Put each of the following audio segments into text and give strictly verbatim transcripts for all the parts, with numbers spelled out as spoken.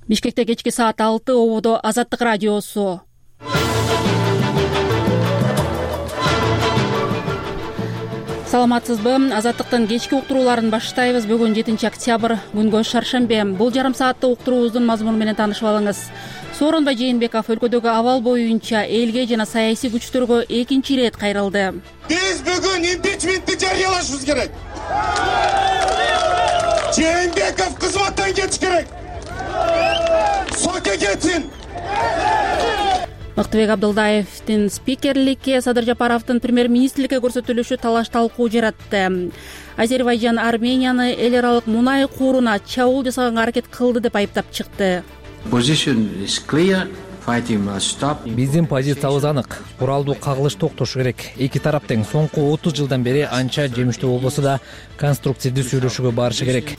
Бишкекте кечки саат алты, ободо Азаттык радиосу. Саламатсызбы? Азаттыктын кечки уктурууларын баштайбыз. Бүгүн жетинчи октябрь, күнгө шаршембе. Бул жарым сааттык уктуруубуздун мазмуну менен таанышып алыңыз. Сооронбай Жээнбеков өлкөдөгү абал боюнча элге жана саясий күчтөргө экинчи ирет кайрылды. Биз бүгүн импичментти жарыялашыбыз керек. Жээнбеков кызматтан кетиш керек. Сотко кетсин. Мыктыбек Абдылдаевдин спикерликке, Садыр Жапаровдун премьер-министрликке көрсөтүлүшү талаш талкуу жаратты. Азербайжан Арменияны эл аралык мунай кууруна чабуул жасаганга аракет кылды деп айыптап чыкты. Биздин позициябыз анык. Куралдуу кагылыш токтошу керек. Эки тарап тең соңку отуз жылдан бери анча жемиштүү болбосо да конструктивдүү сүйлөшүүгө барышы керек.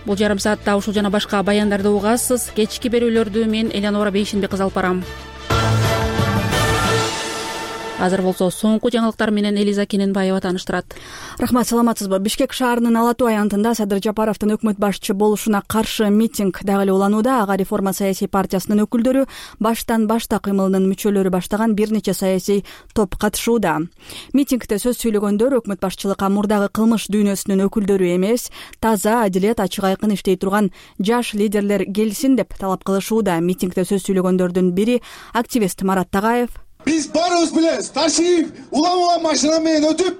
Бул жарым саатта ушул жана башка баяндарды угасыз. Кечки берүүлөрдү мен Элянора Бейшенбек кызы алып барам. Азыр болсо соңку жаңылыктар менен Элиза Кененбаева тааныштырат. Рахмат, саламатсызбы? Бишкек шаарынын Ала Тоо аянтында Садыр Жапаровдун өкмөт башчы болушуна каршы митинг дагы эле уланууда. Ага Реформа саясий партиясынын өкүлдөрү, баштан башта кыймылынын мүчөлөрү баштаган бир нече саясий топ катышууда. Митингде сөз сүйлөгөндөр өкмөт башчылыкка мурдагы кылмыш дүйнөсүнүн өкүлдөрү эмес, таза, адилет, ачык айкын иштей турган жаш лидерлер келсин деп талап кылышууда. Митингде сөз сүйлөгөндөрдүн бири активист Марат Тагаев. Биз барыбыз билебиз, Ташиев улам-улам машина менен өтүп,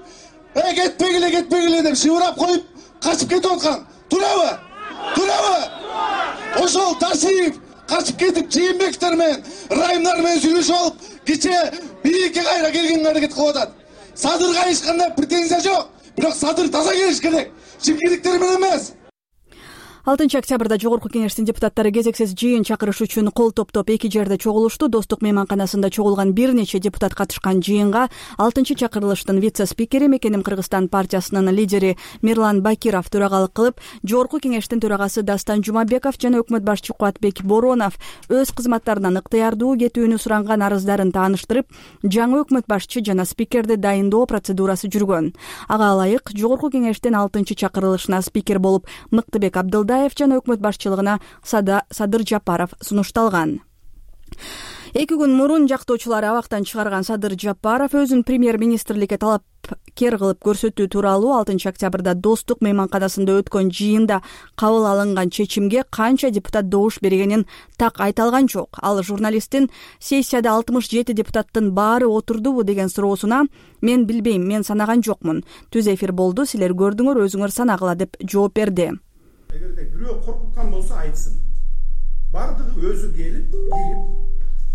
"Э, кетпегиле, кетпегиле" деп шыбырап коюп, качып кетип аткан. Турабы? Турабы? Ошол Ташиев качып кетип, Жээнбековдор менен, Райымдар менен сүйлөшүп алып, кече бийикке кайра келгенге аракет кылып атат. Садырга эч кандай претензия жок, бирок Садыр таза келиш керек. Чимкириктер менен эмес. алтынчы октябрда Жогорку кеңештин депутаттары кезексиз жыйын чакырыш үчүн кол топтоп эки жерде чогулушту. Достук мейманканасында чогулган бир нече депутат катышкан жыйынга алтынчы чакырылыштын вице-спикери, Мекеним Кыргызстан партиясынын лидери Мирлан Бакиров төрагалык кылып, Жогорку кеңештин төрагасы Дастан Жумабеков жана өкмөт башчы Кубатбек Боронов өз кызматтарынан ыктыярдуу кетүүнү суранган арыздарын тааныштырып, жаңы өкмөт башчы жана спикерди дайындоо процедурасы жүргөн. Ага ылайык Жогорку кеңештин алтынчы чакырылышына спикер болуп Мыктыбек Абдылдаев жана өкмөт башчылыгына Садыр Жапаров сунушталган. Эки күн мурун жактоочулары абактан чыгарган Садыр Жапаров өзүн премьер-министрликке талапкер кылып көрсөтүү тууралуу алтынчы октябрда Достук мейманканасында өткөн жыйында кабыл алынган чечимге канча депутат добуш бергенин так айта алган жок. Ал журналисттин сессияда алтымыш жети депутаттын баары отурдубу деген суроосуна "Мен билбейм, мен санаган жокмун. Түз эфир болду, силер көрдүңөр, өзүңөр санагыла" деп жооп берди. Эгерде бирөө коркуткан болсо айтсын. Бардыгы өзү келип, кирип,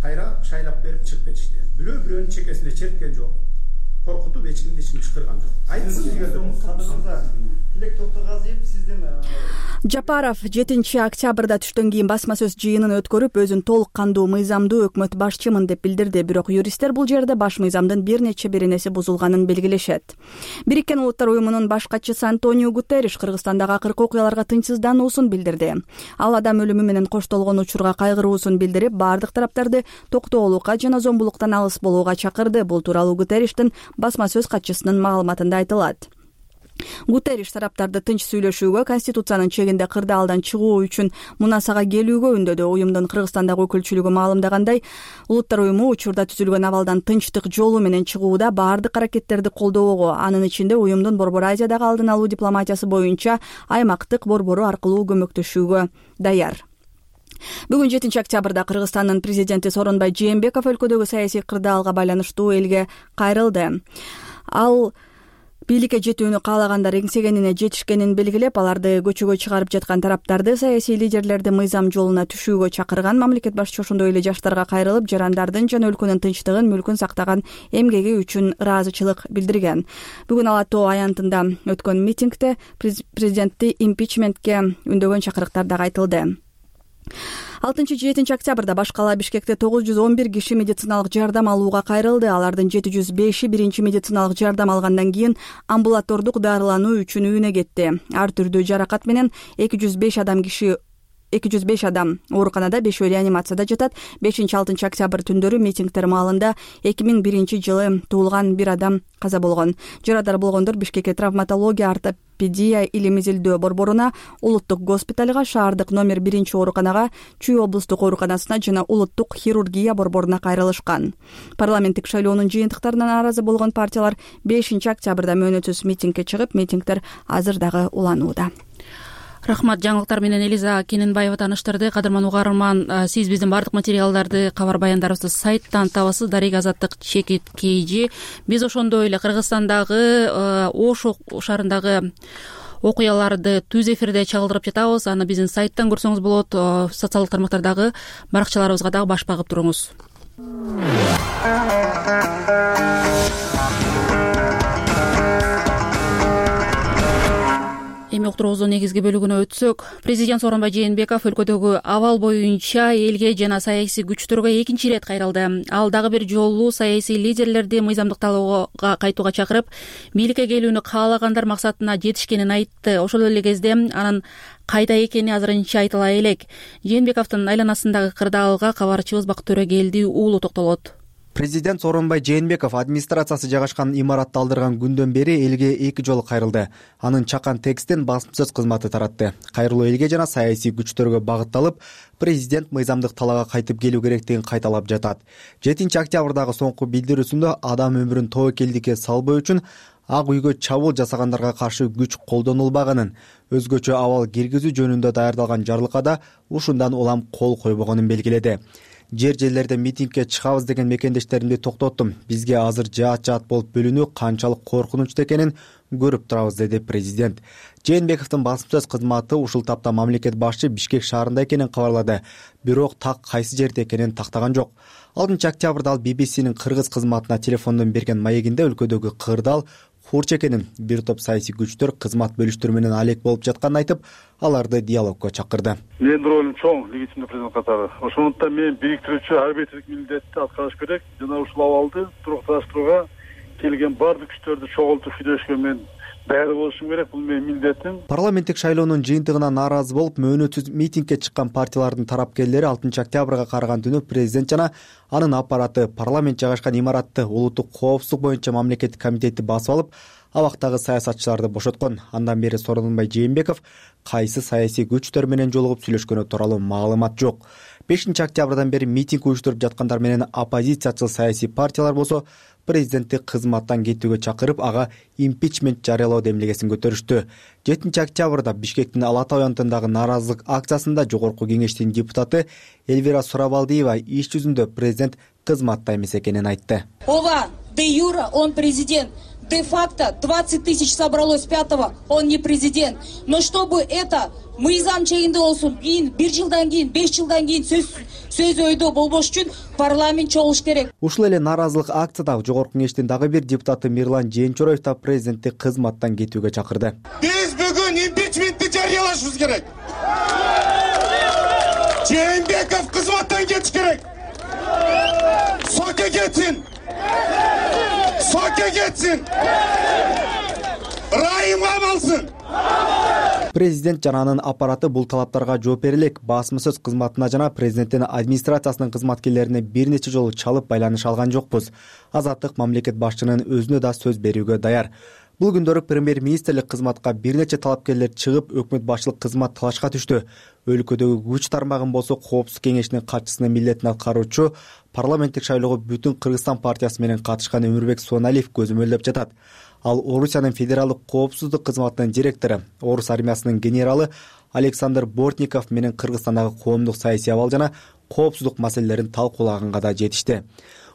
кайра шайлап берип чыгып кетишти. Бирөө бирөөнүн чекесине черткен жок. Коркутуп эч кимди ичине чакырган жок. Айтсын дегенде Тилек Токтогазиев сиздин Жапаров жетинчи октябрда түштөн кийин басма сөз жыйынын өткөрүп, өзүн толук кандуу, мыйзамдуу өкмөт башчымын деп билдирди. Бирок юристтер бул жерде баш мыйзамдын бир нече беренеси бузулганын белгилешет. Бириккен Улуттар уюмунун баш катчысы Антонио Гутерриш Кыргызстандагы акыркы окуяларга тынчсыздануусун билдирди. Ал адам өлүмү менен коштолгон учурга кайгыруусун билдирип, бардык тараптарды токтоолукка жана зомбулуктан алыс болууга чакырды. Бул тууралуу Гутерриштин басма сөз катчысынын маалыматында айтылат. Гутерриш тараптарды тынч сүйлөшүүгө, Конституциянын чегинде кырдаалдан чыгуу үчүн Мунасага келүүгө үндөдү. Уюмдун Кыргызстандагы өкүлчүлүгү маалымдагандай, Улуттар уюму учурда түзүлгөн абалдан тынчтык жолу менен чыгууда бардык аракеттерди колдоого, анын ичинде уюмдун Борбор Азиядагы алдын алуу дипломатиясы боюнча аймактык борбору аркылуу көмөктөшүүгө даяр. Бүгүн жетинчи октябрда Кыргызстандын президенти Сооронбай Жээнбеков өлкөдөгү саясий кырдаалга байланыштуу элге кайрылды. Ал бийликке жетүүнү каалагандар эңсегенине жетишкенин белгилеп, аларды көчөгө чыгарып жаткан тараптарды, саясий лидерлерди мыйзам жолуна түшүүгө чакырган. Мамлекет башчысы ошондой эле жаштарга кайрылып, жарандардын жана өлкөнүн тынчтыгын, мүлкүн сактаган эмгеги үчүн ыраазычылык билдирген. Бүгүн Ала Тоо аянтында өткөн митингде президентти импичментке үндөгөн чакырыктар дагы айтылды. алтынчы жетинчи октябрда башкала Бишкекте тогуз жүз он бир киши медициналык жардам алууга кайрылды. Алардын жети жүз беши биринчи медициналык жардам алгандан кийин амбулатордук дарылануу үчүн үйүнө кетти. Ар түрдүү жаракат менен эки жүз беш адам киши эки жүз беш адам ооруканада, бешөө реанимацияда жатат. бешинчи алтынчы октябрь түндөрү митингдер маалында эки миң биринчи жылы туулган бир адам каза болгон. Жарадар болгондор Бишкекке травматология, ортопедия, илим изилдөө борборуна, улуттук госпиталга, шаардык номер биринчи ооруканага, Чүй облустук ооруканасына жана улуттук хирургия борборуна кайрылышкан. Парламенттик шайлоонун жыйынтыктарына нааразы болгон партиялар бешинчи октябрда мөөнөтсүз митингге чыгып, митингдер азыр дагы уланууда. Рахмат. Жаңылыктар менен Элиза Кененбаева тааныштырды. Кадырман угарман, сиз биздин бардык материалдарды, кабар баяндарыбызды сайттан табасыз. Дарек Азаттык чекит kg. Биз ошондой эле Кыргызстандагы Ош шаарындагы окуяларды түз эфирде чагылдырып жатабыз. Аны биздин сайттан көрсөңүз болот. Социалдык тармактардагы баракчаларыбызга дагы баш багып туруңуз. Эми уктуруубуздун негизги бөлүгүнө өтсөк, президент Сооронбай Жээнбеков өлкөдөгү абал боюнча элге жана саясий күчтөргө экинчи ирет кайрылды. Ал дагы бир жолу саясий лидерлерди мыйзамдык талоого кайтууга чакырып, бийликке келүүнү каалагандар максатына жетишкенин айтты. Ошол эле кезде анын кайда экени азырынча айтыла элек. Жээнбековдун айланасындагы кырдаалга кабарчыбыз Бакыт Төрөгелди уулу токтолот. Президент Сооронбай Жээнбеков администрациясы жайгашкан имаратты алдырган күндөн бери элге эки жолу кайрылды. Анын чакан текстин басма сөз кызматы таратты. Кайрылуу элге жана саясий күчтөргө багытталып, президент мыйзамдык талаага кайтып келүү керектигин кайталап жатат. жетинчи октябрдагы соңку билдирүүсүндө адам өмүрүн тобокелдикке салбоо үчүн Ак үйгө чабуул жасагандарга каршы күч колдонулбаганын, өзгөчө абал киргизүү жөнүндө даярдалган жарлыкка ушундан улам кол койбогонун белгиледи. Жер жерлерде митингге чыгабыз деген мекендештеримди токтоттум. Бизге азыр жаат-жаат болуп бөлүнүү канчалык коркунучтуу экенин көрүп турабыз, деди президент. Жээнбековдун басма сөз кызматы ушул тапта мамлекет башчы Бишкек шаарында экенин кабарлады. Бирок так кайсы жерде экенин тактаган жок. алтынчы октябрда ал би би синин кыргыз кызматына телефондон берген маегинде өлкөдөгү кырдаал хурч экенин, бир топ саясий күчтөр кызмат бөлүштөр менен алек болуп жатканын айтып, аларды диалогко чакырды. Менин ролум чоң, легитимдүү президент катары. Ошондуктан мен бириктирүүчү арбитрлик милдетти аткарыш керек. Жана ушул абалды турукташтырууга келген бардык күчтөрдү чогултуп сүйлөшкө мен даяр болушум керек. Бул менин милдетим. Парламенттик шайлоонун жыйынтыгына нааразы болуп, мөөнөтсүз митингге чыккан партиялардын тарапкерлери алтынчы октябрга караган түнү президент жана анын аппараты парламент жайгашкан имаратты улуттук коопсуздук боюнча мамлекеттик комитетти басып алып, абактагы саясатчыларды бошоткон. Андан бери Сооронбай Жээнбеков кайсы саясий күчтөр менен жолугуп сүйлөшкөнү тууралуу маалымат жок. бешинчи октябрдан бери митинг уюштуруп жаткандар менен оппозициячыл саясий партиялар болсо президентти кызматтан кетүүгө чакырып, ага импичмент жарыялоо демилгесин көтөрүштү. жетинчи октябрда Бишкектин Ала Таа аянтындагы нааразылык акциясында жогорку кеңештин депутаты Эльвира Сурабалдиева иш жүзүндө президент кызматта эмес экенин айтты. Ова, де юра, он президент. Де-факто двадцать тысяч собралось пятого, он не президент. Но чтобы это мыйзам чегинде болсун, кийин бир жылдан кийин, беш жылдан кийин сөз сөз өйдө болбош үчүн парламент чогулуш керек. Ушул эле нааразылык акцияда жогорку кеңештин дагы бир депутаты Мирлан Жээнчороев да президентти кызматтан кетүүгө чакырды. Биз бүгүн импичментти жарыялашыбыз керек. Жээнбеков кызматтан кетиш керек. Соке кетсин. Соке кетсин. Райымга алсын. Президент жана анын аппараты бул талаптарга жооп бере элек. Басма сөз кызматына жана президенттин администрациясынын кызматкерлерине бир нече жолу чалып байланыш алган жокпуз. Азаттык мамлекет башчынын өзүнө да сөз берүүгө даяр. Бул күндөрү премьер-министрлик кызматка бир нече талапкерлер чыгып, өкмөт башчылык кызмат талашка түштү. Өлкөдөгү күч тармагын болсо Коопсуздук кеңешинин катчысынын милдетин аткаруучу парламенттик шайлоого Бүтүн Кыргызстан партиясы менен катышкан Өмүрбек Суаналиев көзөмөлдөп жатат. Ал Орусиянын федералдык коопсуздук кызматынын директору, Орус армиясынын генералы Александр Бортников менен Кыргызстандагы коомдук саясий абал жана коопсуздук маселелерин талкуулаганга да жетишти.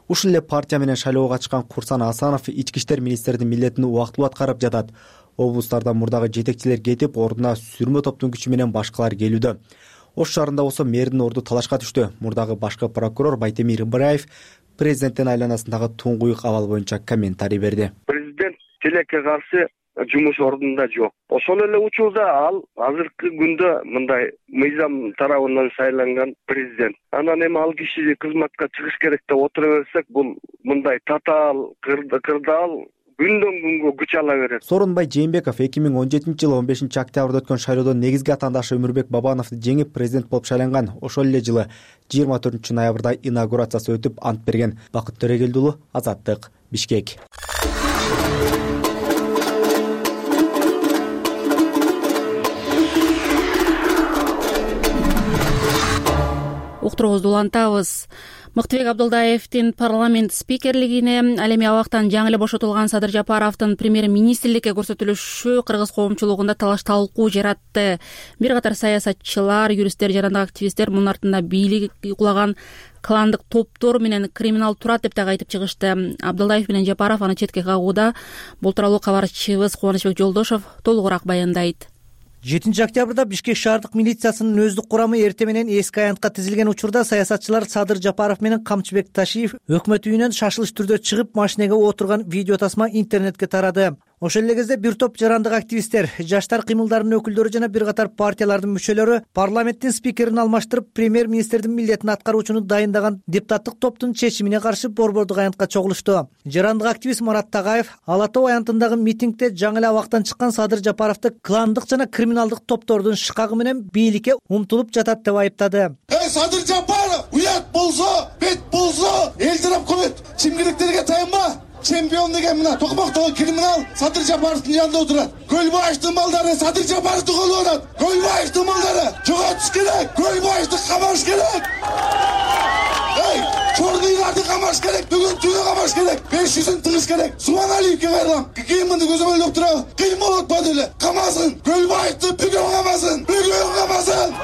Ушул эле партия менен шайлоого катышкан Курсан Асанов ички иштер министринин милдетин убактылуу аткарып жатат. Облустардан мурдагы жетекчилер кетип, ордуна сүрмө топтун күчү менен башкалар келүүдө. Ош шаарында болсо мэрдин орду талашка түштү. Мурдагы башкы прокурор Байтемир Ибраев президенттин айланасындагы туңгуюк абал боюнча комментарий берди. Президент тилекке каршы жумуш ордунда жок. Ошол эле учурда ал азыркы күндө мындай мыйзам тарабынан шайланган президент. Анан эми ал киши кызматка чыгыш керек деп отура берсек, бул мындай татаал кырдаал күндөн күнгө күч ала берет. Сооронбай Жээнбеков эки миң он жетинчи жылы он бешинчи октябрда өткөн шайлоодон негизги атаандашы Өмүрбек Бабановду жеңип президент болуп шайланган. Ошол эле жылы жыйырма төртүнчү ноябрда инаугурациясы өтүп ант берген. Бакыт Төрөгелди уулу, Азаттык, Бишкек. Уктуруубузду улантабыз. Мыктыбек Абдылдаевдин парламент спикерлигине, ал эми абактан жаңы эле бошотулган Садыр Жапаровдун премьер-министрликке көрсөтүлүшү кыргыз коомчулугунда талаш талкуу жаратты. Бир катар саясатчылар, юристтер жана активисттер мунун артында бийлик кулаган кландык топтор менен криминал турат деп дагы айтып чыгышты. Абдылдаев менен Жапаров аны четке кагууда. Бул тууралуу кабарчыбыз Кубанычбек Жолдошов толугураак баяндайт. жетинчи октябрда Бишкек шаардык милициясынын өздүк курамы эрте менен эски аянтка тизилген учурда саясатчылар Садыр Жапаров менен Камчыбек Ташиев өкмөт үйүнөн шашылыш түрдө чыгып машинеге отурган видео тасма интернетке тарады. Ошол эле кезде бир топ жарандык активисттер, жаштар кыймылдарынын өкүлдөрү жана бир катар партиялардын мүчөлөрү парламенттин спикерин алмаштырып, премьер-министрдин милдетин аткаруучуну дайындаган депутаттык топтун чечимине каршы борбордук аянтка чогулушту. Жарандык активист Марат Тагаев Ала Тоо аянтындагы митингде жаңы эле абактан чыккан Садыр Жапаровду кландык жана криминалдык топтордун шыкагы менен бийликке умтулуп жатат деп айыптады. Эй, Садыр Жапаров, уят болсо, бет болсо, эл тарап коет. Чимкиликтерге таянма. Чемпион деген мына токмоктогу криминал Садыр Жапаровдун жанында отурат. Көлбаевдин балдары Садыр Жапаровду колуп атат. Көлбаевдин балдары жоготуш керек. Көлбаевди камаш керек. Эй, чорныйларды камаш керек. Бүгүн түнү камаш керек. беш жүзүн тыгыш керек. Субаналиевге кайрылам. Кийиминди көзөмөлдөп турабы? Кыймыл отпады эле. Камасын. Көлбаевди бүгүн камасын. Бүгүн камасын.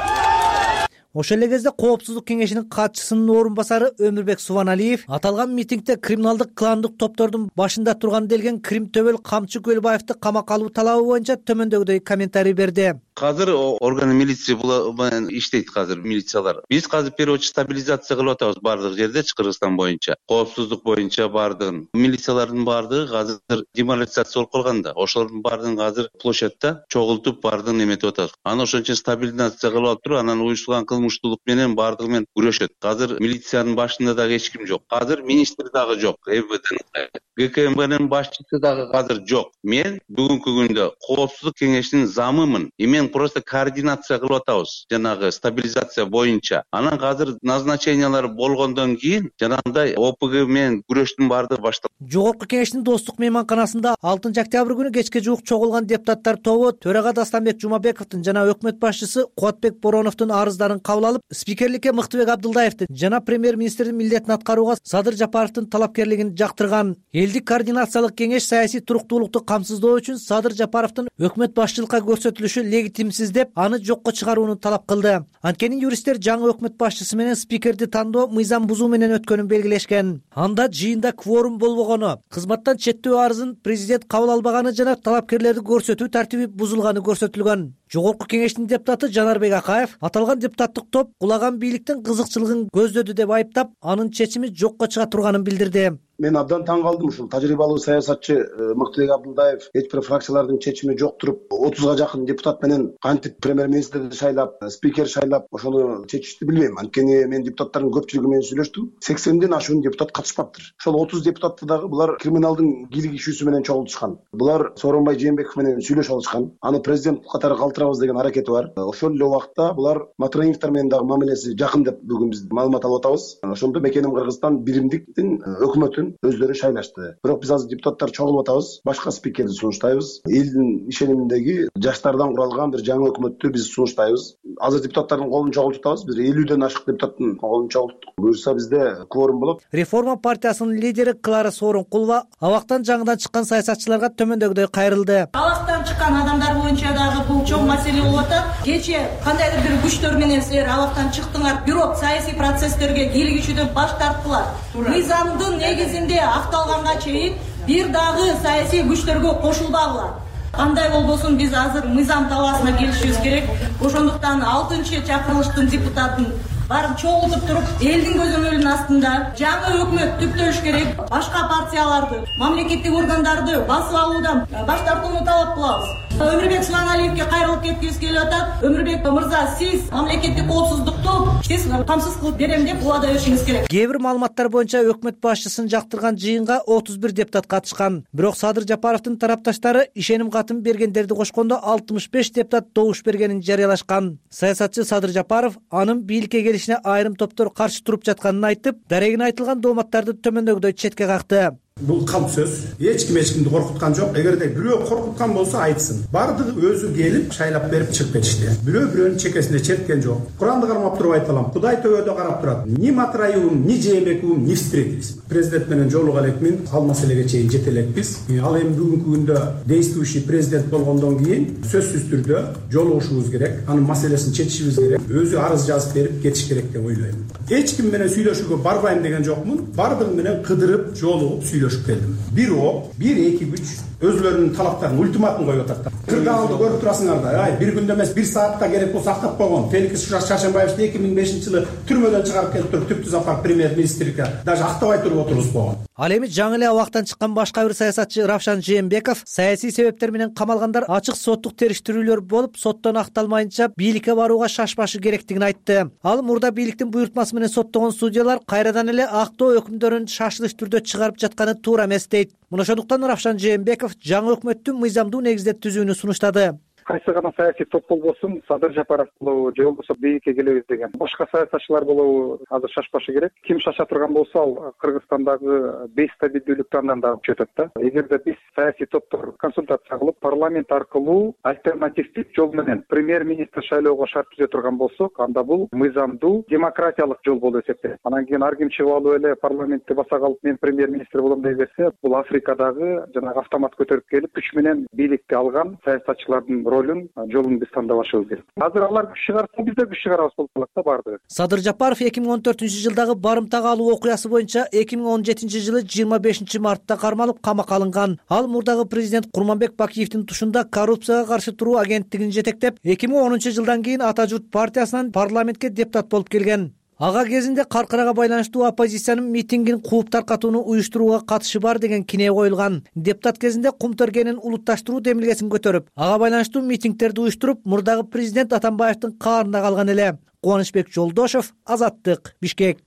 Ошол эле кезде Коопсуздук кеңешинин катчысынын орун басары Өмүрбек Субаналиев аталган митингде криминалдык кландык топтордун башында турган делген Крим Төбөл Камчы Көлбаевди камакка алуу талабы боюнча төмөндөгүдөй комментарий берди. Азыр органы милиция менен иштейт азыр милициялар. Биз азыр переводчу стабилизация кылып атабыз бардык жердечи Кыргызстан боюнча. Коопсуздук боюнча бардыгын. Милициялардын бардыгы азыр деморализация болуп калган да. Ошолордун бардыгын азыр площадьта чогултуп бардыгын эметип атабыз. Аны ошончо стабилизация кылып алып туруп, анан уюштурулган кылмыштуулук менен бардыгы менен күрөшөт. Азыр милициянын башында дагы эч ким жок. Азыр министр дагы жок. ЭВДнын ГКМБнын башчысы дагы азыр жок. Мен бүгүнкү күндө Коопсуздук кеңешинин замымын. Мен просто координация кылып атабыз. Жанагы стабилизация боюнча. Анан азыр назначениялар болгондон кийин жанагындай ОПГ менен күрөштүн бардыгы башталды. Жогорку кеңештин достук мейманканасында алтынчы октябрь күнү кечке жуук чогулган депутаттар тобу төрага Дастанбек Жумабековдун жана өкмөт башчысы Кубатбек Бороновдун арыздарын кабыл алып, спикерликке Мыктыбек Абдылдаевди жана премьер-министрдин милдетин аткарууга Садыр Жапаровдун талапкерлигин жактырган. Элдик координациялык кеңеш саясий туруктуулукту камсыздоо үчүн Садыр Жапаровдун өкмөт башчылыкка көрсөтүлүшү легитимсиз деп аны жокко чыгарууну талап кылды. Анткени юристтер жаңы өкмөт башчысы менен спикерди тандоо мыйзам бузуу менен өткөнүн белгилешкен. Анда жыйында кворум болбогону, кызматтан четтөө арызын президент кабыл албаганы жана талапкерлерди көрсөтүү тартиби бузулганы көрсөтүлгөн. Жогорку кеңештин депутаты Жанарбек Акаев аталган депутаттык топ кулаган бийликтин кызыкчылыгын көздөдү деп айыптап, анын чечими жокко чыга турганын билдирди. Мен абдан таң калдым. Ушул тажрыйбалуу саясатчы Мыктыбек Абдылдаев эч бир фракциялардын чечими жок туруп, отузга жакын депутат менен кантип премьер-министрди шайлап, спикер шайлап, ошону чечишти билбейм. Анткени мен депутаттардын көпчүлүгү менен сүйлөштүм. сексенден ашуун депутат катышпаптыр. Ошол отуз депутатты дагы булар криминалдын кийлик ишүүсү менен чогултушкан. Булар Сооронбай Жээнбеков менен сүйлөшүп алышкан. Аны президент катары калтырабыз деген аракети бар. Ошол эле убакта булар Матраимовдор менен дагы мамилеси жакын деп бүгүн биз маалымат алып атабыз. Ошондо Мекеним Кыргызстан биримдиктин өкмөтүн өздөрү шайлашты. Бирок биз азыр депутаттар чогулуп атабыз, башка спикерди сунуштайбыз. Элдин ишениминдеги жаштардан куралган бир жаңы өкмөттү биз сунуштайбыз. Азыр депутаттардын колун чогултуп атабыз. Бир элүүдөн ашык депутаттын колун чогулттук. Буюрса бизде кворум болот. Реформа партиясынын лидери Клара Сооронкулова абактан жаңыдан чыккан саясатчыларга төмөндөгүдөй кайрылды. Абактан чыккан адамдар боюнча дагы бул чоң маселе болуп атат. Кече кандайдыр бир күчтөр менен силер абактан чыктыңар, бирок саясий процесстерге кийлик ишүүдөн баш тарттылар. Мыйзамдын негизинде акталганга чейин бир дагы саясий күчтөргө кошулбагыла. Кандай болбосун биз азыр мыйзам талаасына келишибиз керек. Ошондуктан алтынчы чакырылыштын депутатын баарын чогултуп туруп элдин көзөмөлүнүн астында жаңы өкмөт түптөш керек. Башка партияларды, мамлекеттик органдарды басып алуудан баш тартууну талап кылабыз. Өмүрбек Субаналиевге кайрылып кеткибиз келип атат. Өмүрбек мырза, сиз мамлекеттик коопсуздукту тез камсыз кылып берем деп убада беришиңиз керек. Кээ бир маалыматтар боюнча өкмөт башчысын жактырган жыйынга отуз бир депутат катышкан. Бирок Садыр Жапаровдун тарапташтары ишеним катын бергендерди кошкондо алтымыш беш депутат добуш бергенин жарыялашкан. Саясатчы Садыр Жапаров анын бийликке келишине айрым топтор каршы туруп жатканын айтып, дарегине айтылган дооматтарды төмөндөгүдөй четке какты. Бул калп сөз. Эч ким эч кимди коркуткан жок. Эгерде бирөө коркуткан болсо айтсын. Бардыгы өзү келип шайлап берип чыгып кетишти. Бирөө бирөөнүн чекесине черткен жок. Куранды кармап туруп айталам. Кудай төбөдө карап турат. Ни Матраевым, ни Жээнбековым не встретились. Президент менен жолуга элекмин. Ал маселеге чейин жете элекпиз. Ал эми бүгүнкү күндө действующий президент болгондон кийин сөзсүз түрдө жолугушубуз керек. Анын маселесин чечишибиз керек. Өзү арыз жазып берип кетиш керек деп ойлойм. Эч ким менен сүйлөшүүгө барбайм деген жокмун. Бардыгы менен кыдырып, жолугуп сүйлөшүп келдим. Бирок бир эки күч өзүлөрүнүн талаптарын ультиматум коюп атат. Кырдаалды көрүп турасыңар да. Ай, бир күндө эмес, бир саатта керек болсо актап койгон. Феликс Шаршембаевди эки миң бешинчи жылы түрмөдөн чыгарып келип туруп түптү запар премьер-министрге даже актабай туруп отургузбогон. Ал эми жаңы эле абактан чыккан башка бир саясатчы Равшан Жээнбеков саясий себептер менен камалгандар ачык соттук териштирүүлөр болуп, соттон акталмайынча бийликке барууга шашпашы керектигин айтты. Ал мурда бийликтин буйртмасы менен соттогон судьялар кайрадан эле актоо өкүмдөрүн шашылыш түрдө чыгарып жатканы туура эмес дейт. Мына ошондуктан Равшан Жээнбеков жаңы өкмөттү мыйзамдуу негизде түзүүнү сунуштады. Кайсы гана саясий топ болбосун, Садыр Жапаров болобу же болбосо бийликке келебиз деген башка саясатчылар болобу азыр шашпашы керек. Ким шаша турган болсо, ал Кыргызстандагы бейстабилдүүлүктү андан дагы күчөтөт да. Эгерде биз саясий топтор консультация кылып, парламент аркылуу альтернативдик жол менен премьер-министр шайлоого шарт түзө турган болсок, анда бул мыйзамдуу демократиялык жол болуп эсептелет. Анан кийин ар ким чыгып алып эле парламентти баса калып, мен премьер-министр болом дей берсе, бул Африкадагы жанагы автомат көтөрүп келип, күч менен бийликти алган саясатчылардын ролун, жолун биз тандабашыбыз керек. Азыр алар күч чыгарса, биз да күч чыгарабыз болуп калат да бардыгы. Садыр Жапаров эки миң он төртүнчү жылдагы барымтага алуу окуясы боюнча эки миң он жетинчи жылы жыйырма бешинчи мартта кармалып камакка алынган. Ал мурдагы президент Курманбек Бакиевдин тушунда коррупцияга каршы туруу агенттигин жетектеп, эки миң онунчу жылдан кийин Ата журт партиясынан парламентке депутат болуп келген. Ага кезинде каркырага байланыштуу оппозициянын митингин кууп таркатууну уюштурууга катышы бар деген кине коюлган. Депутат кезинде кум тергенин улутташтыруу демилгесин көтөрүп, ага байланыштуу митингтерди уюштуруп, мурдагы президент Атамбаевдин каарында калган эле. Кубанычбек Жолдошов, Азаттык, Бишкек.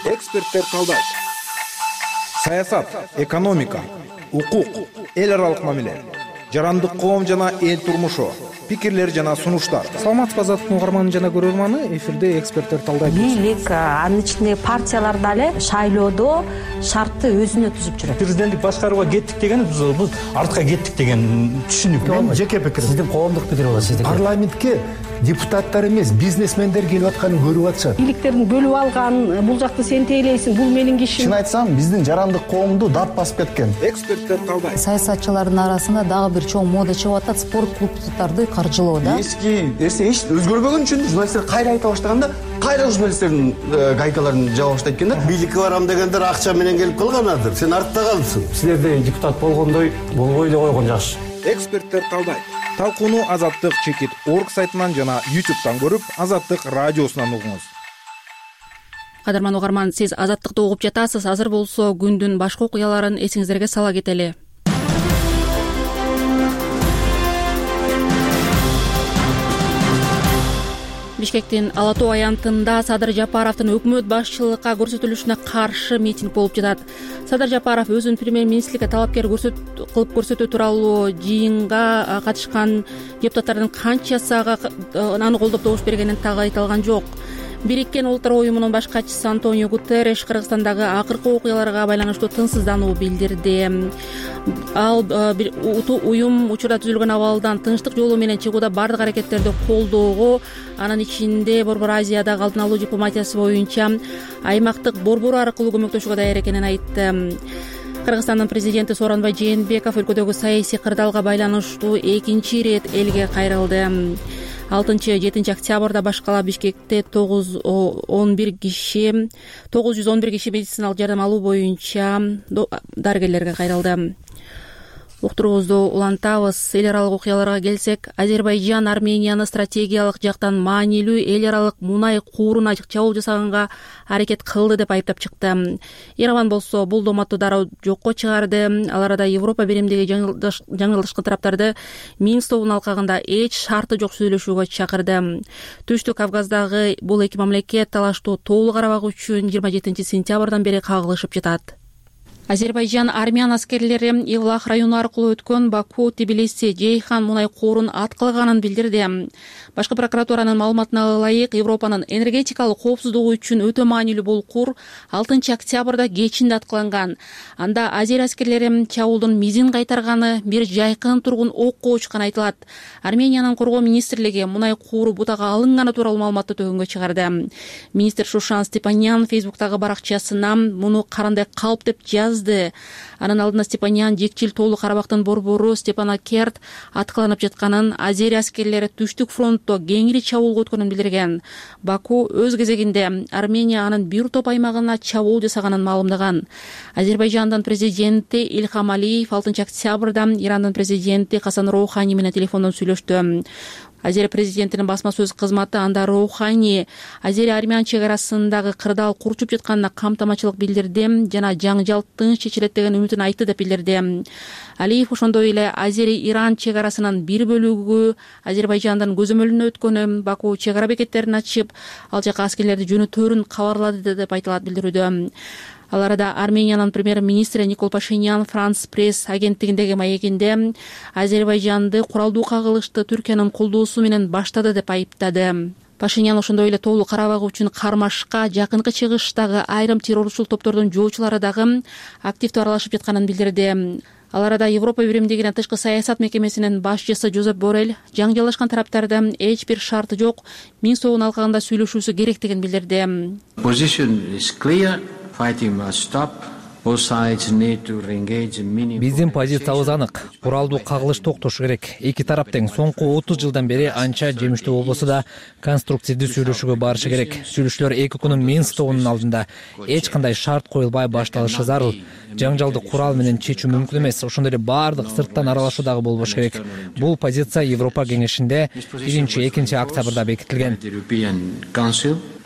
Эксперттер талдайт. Саясат, экономика, укук, эл аралык мамиле, жарандык коом жана эл турмушу, пикирлер жана сунуштар. Саламатсызбы, Азаттык угарманы жана көрөрманы, эфирде эксперттер талдайт. Бийлик, анын ичинде партиялар дале шайлоодо шартты өзүнө түзүп жүрөт. Президенттик башкарууга кеттик деген бул артка кеттик деген түшүнүк. Мен жеке пикирим. Сиздин коомдук пикир болот сиздики. Парламентке депутаттар эмес, бизнесмендер келип атканын көрүп атышат. Бийликтердин бөлүп алган, бул жакты сен тейлейсиң, бул менин кишим. Чын айтсам, биздин жарандык коомду дат басып кеткен. Эксперттер талдайт. Саясатчылардын арасында дагы бир чоң мода чыгып атат, спорт клубдарды каржылоо да. Эски нерсе эч өзгөрбөгөн үчүн журналисттер кайра айта баштаганда, кайра журналисттердин гайкаларын жаба баштайт экен да. Бийликке барам дегендер акча менен келип калганадыр. Сен артта калдсың. Силерде депутат болгондой болбой эле койгон жакшы. Эксперттер талдайт. Талкууну Азаттык чекит орг сайтынан жана ютубтан көрүп, Азаттык радиосунан угуңуз. Кадырман угарман, сиз Азаттыкты угуп жатасыз. Азыр болсо күндүн башка окуяларын эсиңиздерге сала кетели. Бишкектин Ала Тоо аянтында Садыр Жапаровдун өкмөт башчылыкка көрсөтүлүшүнө каршы митинг болуп жатат. Садыр Жапаров өзүн премьер-министрликке талапкер кылып көрсөтүү тууралуу жыйынга катышкан депутаттардын канчасы аны колдоп добуш бергенин так айта алган жок. Бириккен Улуттар уюмунун баш катчысы Антонио Гутерриш Кыргызстандагы акыркы окуяларга байланыштуу тынчсыздануу билдирди. Ал уюм учурда түзүлгөн абалдан тынчтык жолу менен чыгууда бардык аракеттерди колдоого, анын ичинде Борбор Азиядагы алдын алуу дипломатиясы боюнча аймактык борбор аркылуу көмөктөшүүгө даяр экенин айтты. Кыргызстандын президенти Сооронбай Жээнбеков өлкөдөгү саясий кырдаалга байланыштуу экинчи ирет элге кайрылды. алтынчы жетинчи октябрда башкала Бишкекте тогуз жүз он бир киши тогуз жүз он бир киши медициналык жардам алуу боюнча дарыгерлерге кайрылды. Уктуруубузду улантабыз. Эл аралык окуяларга келсек, Азербайжан Арменияны стратегиялык жактан маанилүү эл аралык мунай кууруна чабуул жасаганга аракет кылды деп айыптап чыкты. Ереван болсо бул доматты дароо жокко чыгарды. Ал арада Европа биримдиги жаңылышкан тараптарды Минск тобунун алкагында эч шарты жок сүйлөшүүгө чакырды. Түштүк Кавказдагы бул эки мамлекет талаштуу Тоолуу Карабак үчүн жыйырма жетинчи сентябрдан бери кагылышып жатат. Азербайжан армян аскерлери Евлах району аркылуу өткөн Баку, Тбилиси, Жейхан мунай коорун аткылаганын билдирди. Башкы прокуратуранын маалыматына ылайык, Европанын энергетикалык коопсуздугу үчүн өтө маанилүү бул куур алтынчы октябрда кечинде аткыланган. Анда азер аскерлери чабуулдун мизин кайтарганы, бир жайкын тургун окко учканы айтылат. Армениянын коргоо министрлиги мунай кууру бутага алынганы тууралуу маалыматты төгүнгө чыгарды. Министр Шушан Степанян Фейсбуктагы баракчасына муну карандай калп деп жазды. Анын алдында Степанян жекчил Тоолуу Карабактын борбору Степанакерт аткыланып жатканын, азери аскерлери Түштүк фронтто кеңири чабуулга өткөнүн билдирген. Баку өз кезегинде Армения анын бир топ аймагына чабуул жасаганын маалымдаган. Азербайжандын президенти Ильхам Алиев алтынчы октябрда Ирандын президенти Хасан Роухани менен телефондон сүйлөштү. Азер президентинин басма сөз кызматы анда Роухани азери-армян чек арасындагы кырдаал курчуп жатканына камтамачылык билдирди жана жаңжал тынч чечилет деген үмүтүн айтты деп билдирди. Алиев ошондой эле азери-иран чек арасынын бир бөлүгү Азербайжандын көзөмөлүнө өткөнү, Баку чек ара бекеттерин ачып, ал жака аскерлерди жөнөтөрүн кабарлады деп айтылат билдирүүдө. Ал арада Армениянын премьер-министри Никол Пашинян Франс пресс агенттигиндеги маегинде Азербайжанды куралдуу кагылышты Түркиянын колдоосу менен баштады деп айыптады. Пашинян ошондой эле Тоолуу Карабак үчүн кармашка жакынкы чыгыштагы айрым террорчул топтордун жоочулары дагы активдүү аралашып жатканын билдирди. Ал арада Европа биримдигинин тышкы саясат мекемесинин башчысы Жозеп Боррель жаңжалашкан тараптарды эч бир шарты жок Минск тобунун алкагында сүйлөшүүсү керектигин билдирди. Биздин позициябыз анык. Куралдуу кагылыш токтошу керек. Эки тарап тең соңку отуз жылдан бери анча жемиштүү болбосо да конструктивдүү сүйлөшүүгө барышы керек. Сүйлөшүүлөр эки күнүн Минск тобунун алдында эч кандай шарт коюлбай башталышы зарыл. Жаңжалды курал менен чечүү мүмкүн эмес. Ошондой эле баардык сырттан аралашуу дагы болбош керек. Бул позиция Европа кеңешинде биринчи экинчи октябрда бекитилген.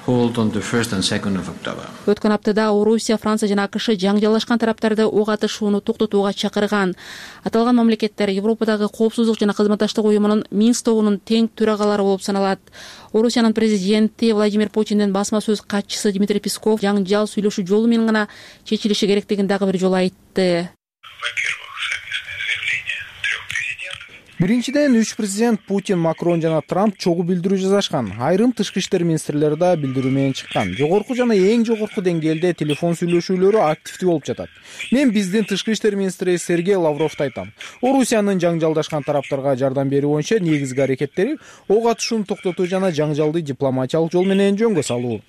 Өткөн аптада Орусия, Франция жана АКШ жаңжалашкан тараптарды ок атышууну токтотууга чакырган. Аталган мамлекеттер Европадагы коопсуздук жана кызматташтык уюмунун Минск тобунун тең төрагалары болуп саналат. Орусиянын президенти Владимир Путиндин басма сөз катчысы Дмитрий Песков жаңжал сүйлөшүү жолу менен гана чечилиши керектигин дагы бир жолу айтты. Биринчиден, үч президент Путин, Макрон жана Трамп чогуу билдирүү жазышкан. Айрым тышкы иштер министрлери да билдирүү менен чыккан. Жогорку жана эң жогорку деңгээлде телефон сүйлөшүүлөрү активдүү болуп жатат. Мен биздин тышкы иштер министри Сергей Лавровду айтам. Орусиянын жаңжалдашкан тараптарга жардам берүү боюнча негизги аракеттери ок атышууну токтотуу жана жаңжалды дипломатиялык жол менен жөнгө салуу.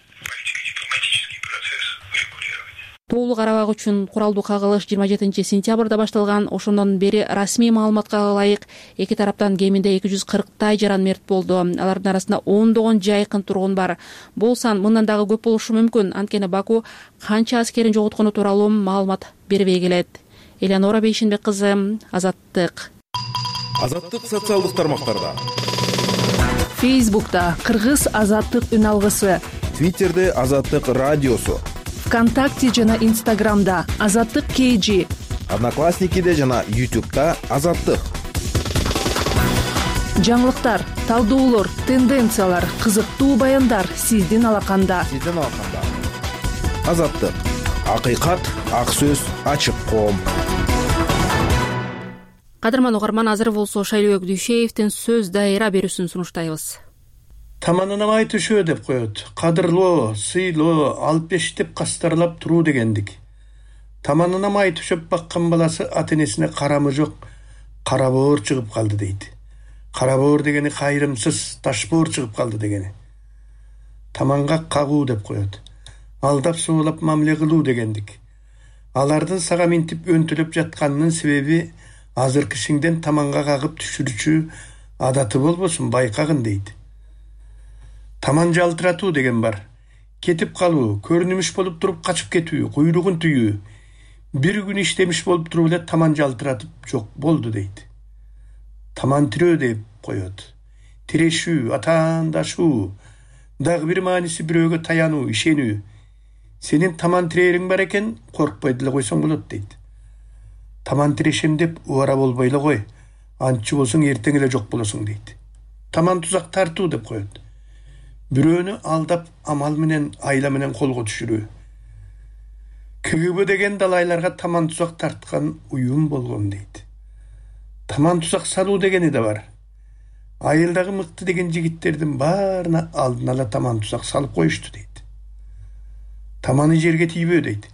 Тоолуу Карабак үчүн куралдуу кагылыш жыйырма жетинчи сентябрда башталган. Ошондон бери расмий маалыматка ылайык эки тараптан кеминде эки жүз кырктай жаран мерт болду. Алардын арасында ондогон жайкын тургун бар. Бул сан мындан дагы көп болушу мүмкүн. Анткени Баку канча аскерин жоготкону тууралуу маалымат бербей келет. Элеонора Бейшенбек кызы, Азаттык. Азаттык социалдык тармактарда. Фейсбукта Кыргыз Азаттык үн алгысы. Твиттерде Азаттык радиосу. ВКонтакте жана Инстаграмда Азаттык кей жи. Одноклассникиде жана Ютубта Азаттык. Жаңылыктар, талдоолор, тенденциялар, кызыктуу баяндар сиздин алаканда. Сиздин алаканда. Азаттык. Акыйкат, ак сөз, ачык коом. Кадырман угарман, азыр болсо Шайлообек Дүйшеевдин сөз дайыра берүүсүн сунуштайбыз. Таманынамай түшөө деп коет. Кадырлоо, сыйлоо, алып беш деп кастарлап туруу дегендик. Таманынамай түшөп баккан баласы ата-энесине карамы жок, карабоор чыгып калды дейт. Карабоор дегени кайрымсыз, ташбоор чыгып калды дегени. Таманга кагуу деп коет. Алдап соолап мамиле кылуу дегендик. Алардын сага минтип өнтөлөп жатканынын себеби азыр кишиңден таманга кагып түшүрүүчү адаты болбосун байкагын дейт. Таман жалтыратуу деген бар. Кетип калуу, көрүнүмүш болуп туруп качып кетүү, куйругун түйүү. Бир күн иштемиш болуп туруп эле таман жалтыратып жок болду дейт. Таман тирөө деп коет. Тирешүү, атаандашуу, дагы бир мааниси бирөөгө таянуу, ишенүү. Сенин таман тирериң бар экен, коркпой деле койсоң болот дейт. Таман тирешем деп убара болбой эле кой. Антчы болсоң эртең эле жок болосуң дейт. Таман тузак тартуу деп коет. Бирөөнү алдап амал менен, айла менен колго түшүрүү. КГБ деген далайларга таман тузак тарткан уюм болгон дейт. Таман тузак салуу дегени да бар. Айылдагы мыкты деген жигиттердин баарына алдын ала таман тузак салып коюшту дейт. Таманы жерге тийбөө дейт.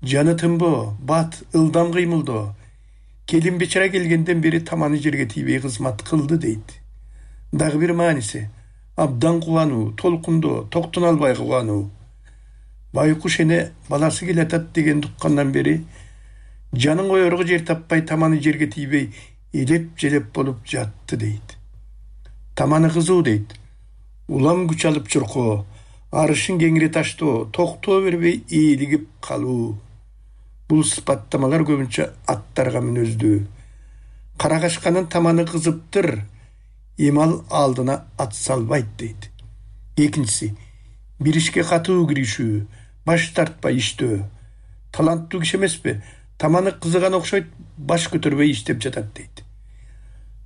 Жаны тынбоо, бат, ылдам кыймылдоо. Келин бечара келгенден бери таманы жерге тийбей кызмат кылды дейт. Дагы бир мааниси абдан кубануу, толкундоо, токтоно албай кубануу. Байкуш эне баласы келатат деген туккандан бери жанын коерго жер таппай таманы жерге тийбей элеп-желеп болуп жатты дейт. Таманы кызуу дейт. Улам күч алып чуркоо, арышын кеңире таштоо, токтоо бербей ийилигип калуу. Бул сыпаттамалар көбүнчө аттарга мүнөздүү. Карагашканын таманы кызыптыр, эмал алдына ат салбайт дейт. Экинчиси, бир ишке катуу киришүү, баш тартпай иштөө. Таланттуу киши эмеспи, таманы кызыган окшойт, баш көтөрбөй иштеп жатат дейт.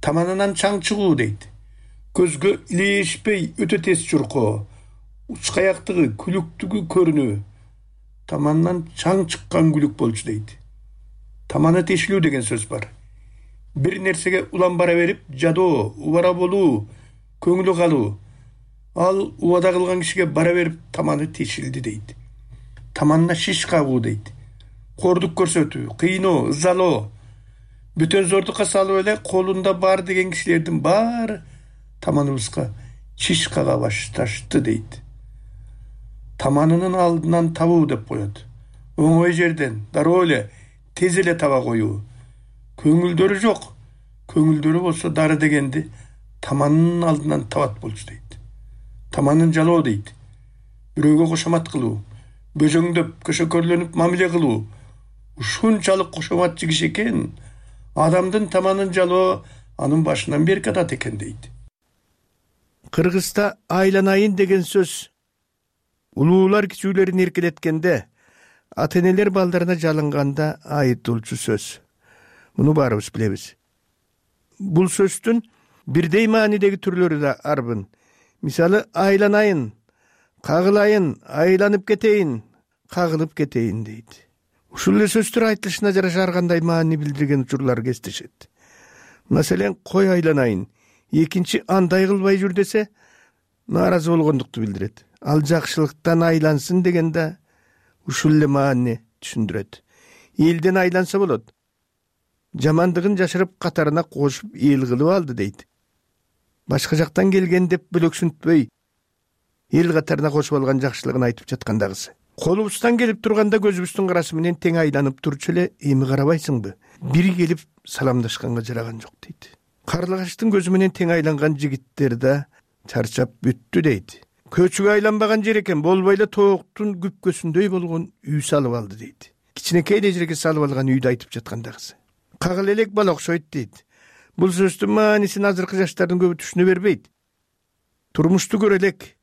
Таманынан чаң чыгуу дейт. Көзгө илешпей өтө тез чуркоо, учкаяктыгы, күлүктүгү көрүнүү. Тамандан чаң чыккан күлүк болчу дейт. Таманы тешилүү деген сөз бар. Бир нерсеге улам бара берип, жадоо, убара болуу, көңүлү калуу. Ал убада кылган кишиге бара берип таманы тешилди дейт. Таманына шиш кагуу дейт. Кордук көрсөтүү, кыйноо, ызалоо. Бүтөн зордукка салып эле колунда бар деген кишилердин баары таманыбызга шиш кага башташты дейт. Таманынын алдынан табуу деп коет. Оңой жерден, дароо эле, тез эле таба коюу. Көңүлдөрү жок. Көңүлдөрү болсо дары дегенди таманынын алдынан табат болчу дейт. Таманын жалоо дейт. Бирөөгө кошомат кылуу, бөжөңдөп, көшөкөрлөнүп мамиле кылуу. Ушунчалык кошоматчы киши экен, адамдын таманын жалоо анын башынан бери катат экен дейт. Кыргызда айланайын деген сөз улуулар кичүүлөрүн эркелеткенде, ата-энелер балдарына жалынганда айытылчу сөз. Муну баарыбыз билебиз. Бул сөздүн бирдей маанидеги түрлөрү да арбын. Мисалы, айланайын, кагылайын, айланып кетейин, кагылып кетейин дейт. Ушул эле сөздөр айтылышына жараша ар кандай маани билдирген учурлар кездешет. Маселен, кой айланайын, экинчи андай кылбай жүр десе, нааразы болгондукту билдирет. Ал жакшылыктан айлансын деген да ушул эле маани түшүндүрөт. Элден айланса болот. Жамандыгын жашырып катарына кошуп эл кылып алды дейт. Башка жактан келген деп бөлөксүнтпөй эл катарына кошуп алган жакшылыгын айтып жаткандагысы. Колубуздан келип турганда көзүбүздүн карасы менен тең айланып турчу эле эми карабайсыңбы? Бири келип саламдашканга жараган жок дейт. Карлыгачтын көзү менен тең айланган жигиттер да чарчап бүттү дейт. Көчүгө айланбаган жер экен, болбой эле тооктун күпкөсүндөй болгон үй салып алды дейт. Кичинекей эле жерге салып алган үйдү айтып жаткандагысы. Кагыл элек бала окшойт дейт. Бул сөздүн маанисин азыркы жаштардын көбү түшүнө бербейт. Турмушту көрө элек,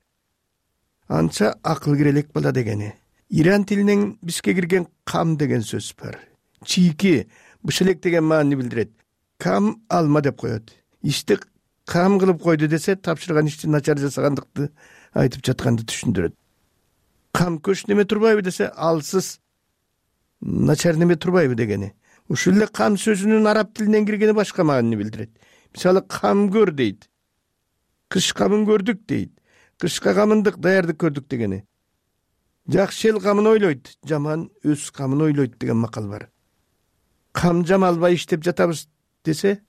анча акыл кире элек бала дегени. Иран тилинен бизге кирген кам деген сөз бар. Чийки, бышелек деген маани билдирет. Кам алма деп коет. Ишти кам кылып койду десе, тапшырган ишти начар жасагандыкты айтып жатканды түшүндүрөт. Кам көч неме турбайбы десе, алсыз начар неме турбайбы дегени. Ушул эле кам сөзүнүн араб тилинен киргени башка маани билдирет. Мисалы, кам көр дейт. Кыш камын көрдүк дейт. Кышка камындык даярдык көрдүк дегени. Жакшы эл камын ойлойт, жаман өз камын ойлойт деген макал бар. Кам жамалбай иштеп жатабыз десе,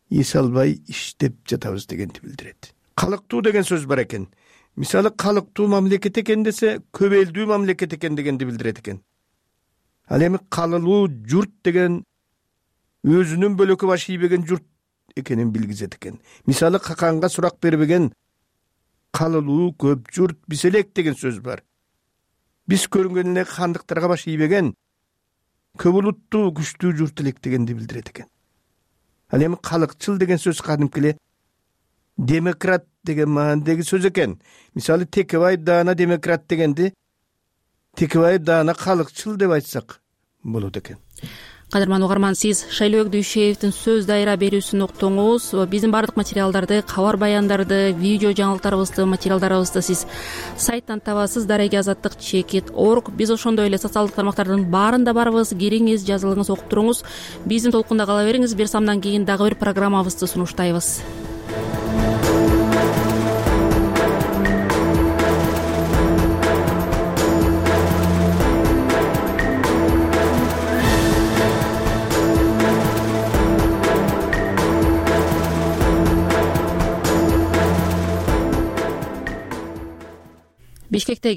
эс албай иштеп жатабыз дегенди билдирет. Калыктуу деген сөз бар экен. Мисалы, калыктуу мамлекет экен десе, көп элдүү мамлекет экен дегенди билдирет экен. Ал эми калылуу журт деген өзүнүн бөлөкө баш ийбеген журт экенин билгизет экен. Мисалы, каканга сурак бербеген калылуу көп журт биз элек деген сөз бар. Биз көрүнгөн эле хандыктарга баш ийбеген, көп улуттуу күчтүү журт элек дегенди билдирет экен. Ал эми калыкчыл деген сөз кадимки эле демократ деген маанидеги сөз экен. Мисалы Текебаев даана демократ дегенди Текебаев даана калыкчыл деп айтсак болот экен. Кадырман угарман, сиз Шайлообек Дүйшеевдин сөз дайра берүүсүн уктуңуз. Биздин бардык материалдарды, кабар баяндарды, видео жаңылыктарыбызды, материалдарыбызды сиз сайттан табасыз, дареги азаттык чекит орг. Биз ошондой эле социалдык тармактардын баарында барбыз. Кириңиз, жазылыңыз, окуп туруңуз. Биздин толкунда кала бериңиз. Бир самдан кийин дагы бир программабызды сунуштайбыз. Бишкекте